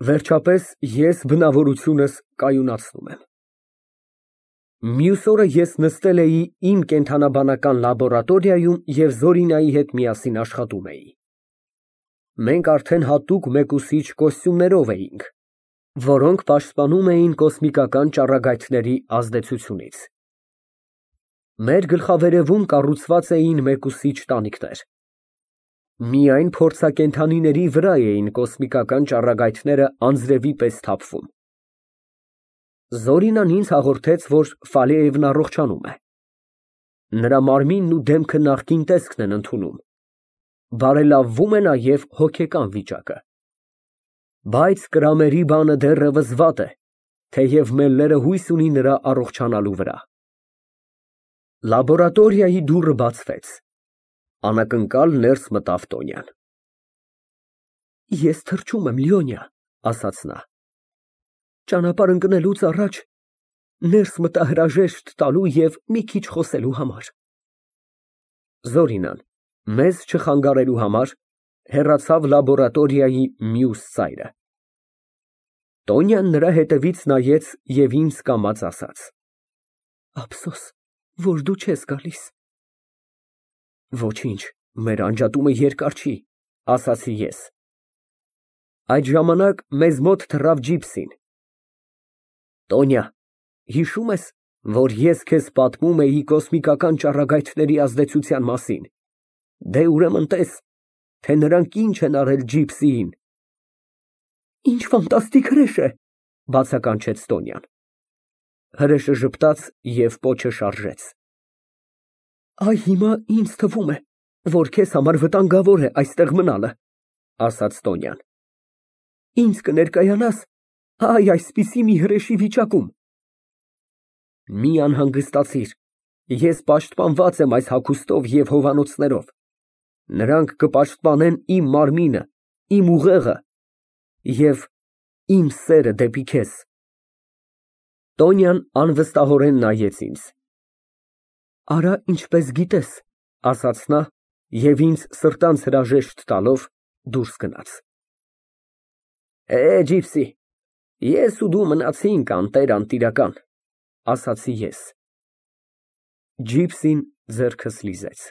Վերջապես ես բնավորությունս կայունացնում եմ։ Մյուս օրը ես նստել էի իմ կենդանաբանական լաբորատորիայում և Զորինայի հետ միասին աշխատում էի։ Մենք արդեն հատուկ մեկուսիչ կոստյումներով էինք, որոնք պաշտպանում էին կոսմիկական ճառագայթների ազդեցությունից։ Մեր գլխավերևում կառուցված էին մեկուսիչ տանիքներ։ Միայն փորձակենդանիների վրա էին կոսմիկական ճառագայթները անձրևի պես թափվում։ Զորինան ինձ հաղորդեց, որ Ֆալեևն առողջանում է։ Նրա մարմինն ու դեմքը նախկին տեսքն են ընդունում, բարելավվում է նաև հոգեկան վիճակը։ Բայց կրամերի բանը դեռևս վատ է, թեև Մելլերը հույս ունի նրա առողջանալու վրա։ Լաբորատորիայի դուռը բացվեց։ Անակնկալ ներս մտավ Տոնյան։ Ես թրջում եմ, Լիոնիա, ասաց նա։ Ճանապարհ ընկնելուց առաջ ներս մտա հրաժեշտ տալու և մի քիչ խոսելու համար։ Զորինան, մեզ չխանգարելու համար, հեռացավ լաբորատորիայի մյուս ծայրը։ Տոնյան նրա հետևից նայեց և ինձ կամաց ասաց. Ափսոս, որ դու չես գալիս։ Ոչինչ, մեր անջատումը երկար չի, ասացի ես։ Այդ ժամանակ մեզ մոտ թռավ ջիպսին։ Տոնյա, հիշո՞ւմ ես, որ ես քեզ պատմում էի կոսմիկական ճառագայթների ազդեցության մասին։ Դե ուրեմն տես, թե նրանք ինչ են արել ջիպսիին։ Ինչ ֆանտաստիկ հրեշ է, բացականչեց Տոնյան։ Հրեշը ժպտաց և պոչը շարժեց։ Այ հիմա ինձ թվում է, որ քեզ համար վտանգավոր է այստեղ մնալը, ասաց Տոնյան։ Ինձ կներկայանա՞ս այսպիսի մի հրեշի վիճակում։ Մի անհանգստացիր, ես պաշտպանված եմ այս հագուստով և հովանոցներով։ Նրանք կպաշտպանեն իմ մարմինը, իմ ուղեղը և իմ սերը դեպի քեզ։ Տոնյան անվստահորեն նայեց ինձ։ Արա ինչպես գիտես, ասաց նա և ինձ սրտանց հրաժեշտ տալով դուրս գնաց։ Ջիպսի, ես ու դու մնացինք անտեր, ասացի ես։ Ջիպսին ձեռքս լիզեց։